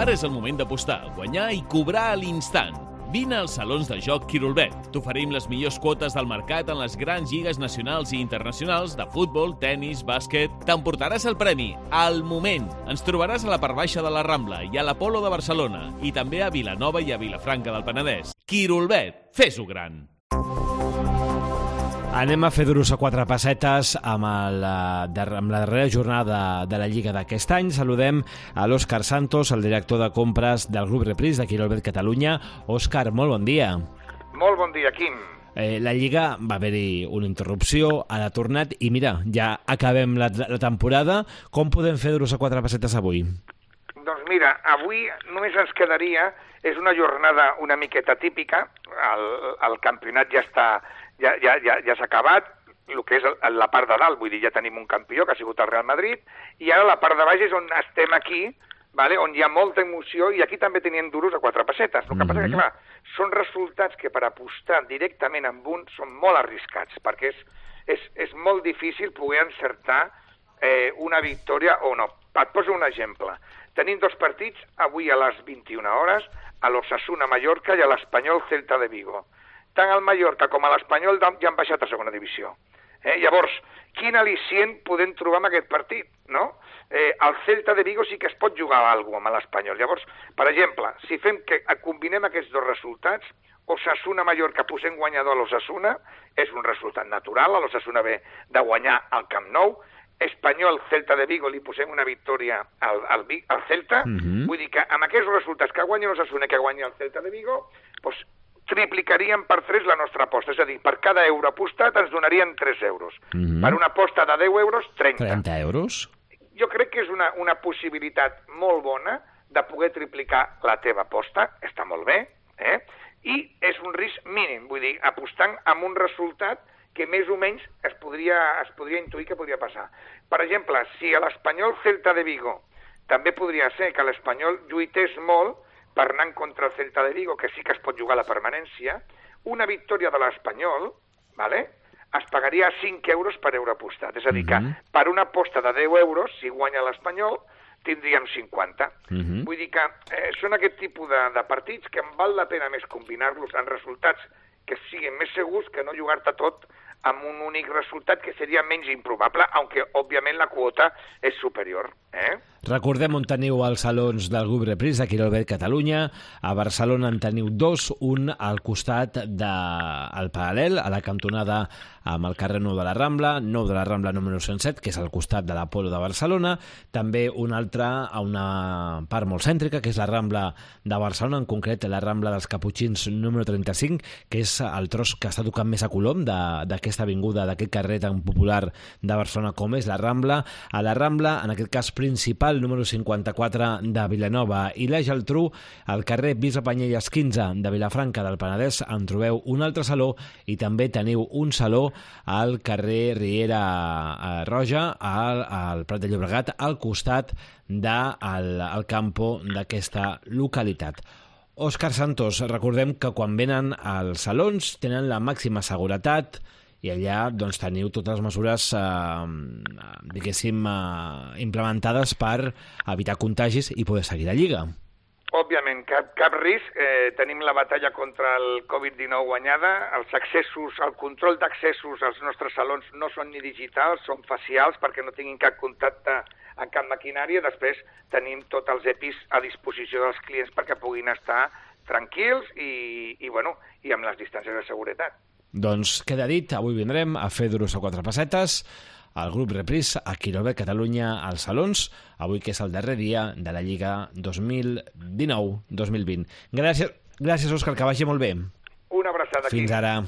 Ara és el moment d'apostar, guanyar i cobrar a l'instant. Vine als salons de joc Quirolbet. T'oferim les millors quotes del mercat en les grans lligues nacionals i internacionals de futbol, tennis, bàsquet. T'emportaràs el premi al moment. Ens trobaràs a la part baixa de la Rambla i a l'Apolo de Barcelona i també a Vilanova i a Vilafranca del Penedès. Quirolbet, fes-ho gran. Anem a fer duros a 4 pessetes amb la darrera jornada de la Lliga d'aquest any. Saludem a l'Òscar Santos, el director de compres del Grup Repris de Quirolbet Catalunya. Òscar, molt bon dia. Molt bon dia, Quim. La Lliga va haver-hi una interrupció, ara ha tornat i mira, ja acabem la temporada. Com podem fer duros a 4 pessetes avui? Doncs mira, avui només ens quedaria, és una jornada una miqueta típica, el campionat ja s'ha acabat, el que és la part de dalt, vull dir, ja tenim un campió que ha sigut el Real Madrid, i ara la part de baix és on estem aquí, vale? On hi ha molta emoció, i aquí també tenien duros a 4 pessetes. El que passa que, clar, són resultats que per apostar directament amb un són molt arriscats, perquè és molt difícil poder encertar una victòria o no. Et poso un exemple. Tenim 2 partits, avui a les 21 hores, a l'Osasuna-Mallorca i a l'Espanyol Celta de Vigo. Tant el Mallorca com l'Espanyol ja han baixat a segona divisió. Llavors, quin al·licient podem trobar en aquest partit, no? El Celta de Vigo sí que es pot jugar alguna cosa amb l'Espanyol. Llavors, per exemple, si combinem aquests 2 resultats, Osasuna-Mallorca posem guanyador a l'Osasuna, és un resultat natural, l'Osasuna ve de guanyar al Camp Nou, Espanyol-Celta de Vigo li posem una victòria al Celta, vull dir que amb aquests resultats que guanya l'Osasuna i que guanya el Celta de Vigo, doncs triplicaríem per 3 la nostra aposta, és a dir, per cada euro apostat ens donarien 3 euros. Per una aposta de 10 euros, 30. 30 euros? Jo crec que és una possibilitat molt bona de poder triplicar la teva aposta, està molt bé, i és un risc mínim, vull dir, apostant amb un resultat que més o menys es podria intuir que podria passar. Per exemple, si a l'Espanyol Celta de Vigo també podria ser que l'Espanyol lluités molt per anar en contra el Celta de Vigo, que sí que es pot jugar a la permanència, una victòria de l'Espanyol, es pagaria 5 euros per euro apostat. És a dir, que per una aposta de 10 euros, si guanya l'Espanyol, tindríem 50. Vull dir que són aquest tipus de partits que em val la pena més combinar-los en resultats que siguin més segurs que no jugar-te tot amb un únic resultat que seria menys improbable, aunque òbviament la quota és superior. Recordem on teniu els salons del Grup Repris de Quirolbet Catalunya. A Barcelona en teniu 2, un al costat del Paral·lel, a la cantonada amb el carrer Nou de la Rambla, Nou de la Rambla número 107, que és al costat de l'Apolo de Barcelona. També un altre a una part molt cèntrica, que és la Rambla de Barcelona, en concret la Rambla dels Caputxins número 35, que és el tros que està tocant més a colom d'aquesta avinguda, d'aquest carrer tan popular de Barcelona com és la Rambla. A la Rambla, en aquest cas principal, número 54 de Vilanova i la Geltrú, al carrer Bisbe Panyelles 15 de Vilafranca del Penedès en trobeu un altre saló i també teniu un saló al carrer Riera Roja, al Prat de Llobregat, al costat del campo d'aquesta localitat. Òscar Santos, recordem que quan venen als salons tenen la màxima seguretat i allà doncs, teniu totes les mesures diguéssim implementades per evitar contagis i poder seguir la Lliga. Òbviament, cap risc. Tenim la batalla contra el Covid-19 guanyada. El control d'accessos als nostres salons no són ni digitals, són facials perquè no tinguin cap contacte amb cap maquinària. Després tenim tots els EPIs a disposició dels clients perquè puguin estar tranquils i amb les distàncies de seguretat. Doncs queda dit, avui vindrem a fer duros a 4 pessetes al Grup Repris a Quirolbet Catalunya als salons, avui que és el darrer dia de la Lliga 2019-2020. Gràcies, Òscar, que vagi molt bé. Una abraçada aquí. Fins ara.